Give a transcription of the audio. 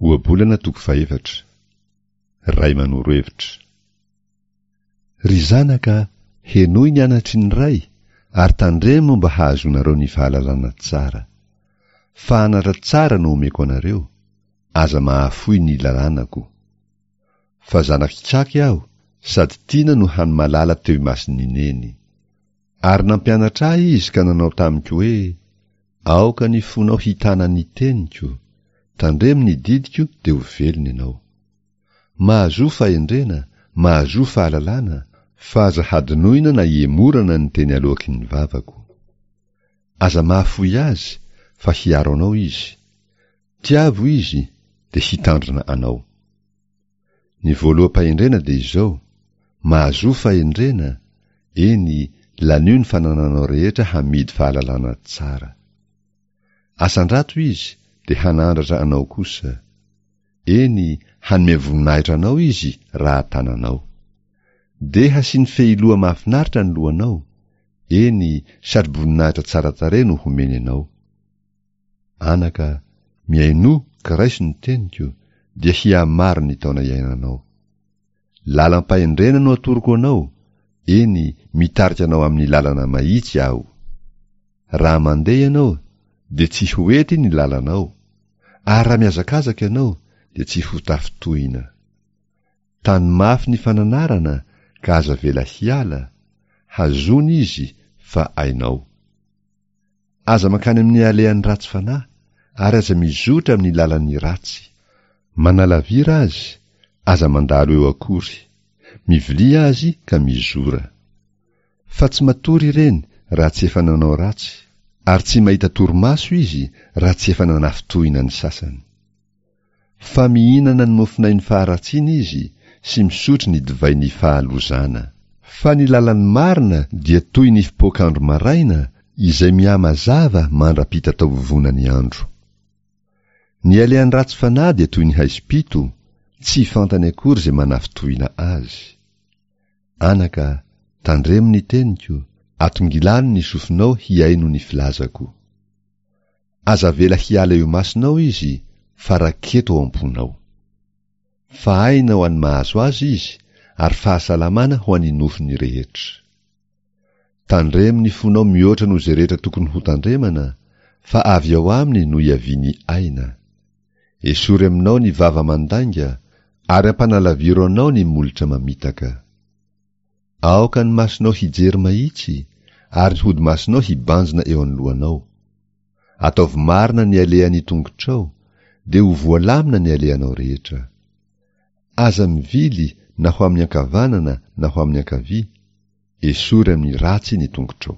Ohabolana toko fahefatra. Ray manoro hevitra. Ry zanaka, henoy ny anatry ny ray, ary tandremo mba hahazoanareo ny fahalalana tsara. Fa anatra tsara no omeko anareo, aza mahafoy ny lalànako. Fa zanak'ikaky aho, sady tiana no hany malala teo imason'i Neny. Ary nampianatra ahy izy ka nanao tamiko hoe, Aoka ny fonao hitana ny teniko, tandremo ny didiko dia ho velona ianao. Mahazoa fahendrena, mahazoa fahalalana, fa aza hadinoina na ihemorana ny teny aloaky ny vavako. Aza mahafoy azy, fa hiaro anao izy. Tiavo izy, dia hitandrina anao. Ny voaloham-pahendrena dia izao, mahazoa fahendrena, eny, lanio ny fanananao rehetra hamidy fahalalana tsara. Asandrato izy, dia hanandratra anao kosa. Eny, hanome voninahitra anao izy raha tananao. Dia hasiany fehiloha mahafinaritra ny lohanao, eny, satroboninahitra tsara tarehy no homeny anao. Anaka, mihainoa ka raiso ny teniko, dia hihamaro ny taona iainanao. Lalam-pahendrena no atoroko anao, eny, mitarika anao amin'ny lalana mahitsy aho. Raha mandeha ianao, dia tsy ho ety ny lalanao, ary raha mihazakazaka ianao, dia tsy ho tafintohina. Tano mafy ny fananarana ka aza avela hiala, hazony izy fa ainao. Aza mankany amin'ny alehan'ny ratsy fanahy, ary aza mizotra amin'ny lalan'ny ratsy. Manalavira azy, aza mandalo eo akory. Mivilia azy ka mizora. Fa tsy matory ireny raha tsy efa nanao ratsy, ary tsy mahita torimaso izy raha tsy efa nanafintohina ny sasany. Fa mihinana ny mofonain'ny faharatsiana izy sy misotro ny divain'ny fahalozana. Fa ny lalan'ny marina dia toy ny fipoak'andro maraina izay mihamazava mandra-pitataovovonan'ny andro. Ny alehan'ny ratsy fanahy dia toy ny haizim-pito, tsy fantany akory izay manafintohina azy. Anaka, tandremo ny teniko, atongilano ny sofinao hihaino ny filazako. Aza avela hiala eo imasonao izy fa raketo ao am-ponao. Fa aina ho an'ny mahazo azy izy ary fahasalamana ho an'ny nofony rehetra. Tandremo ny fonao mihoatra noho izay rehetra tokony hotandremana fa avy ao aminy no iavian'ny aina. Esory aminao ny vava mandainga ary ampanalaviro anao ny molotra mamitaka. Aoka ny masonao hijery mahitsy, ary ny hodi-masonao hibanjina eo anoloanao. Ataovy marina ny alehan'ny tongotrao, dia ho voalamina ny alehanao rehetra. Aza mivily na ho amin'ny ankavanana na ho amin'ny ankavia, esory amin'ny ratsy ny tongotrao.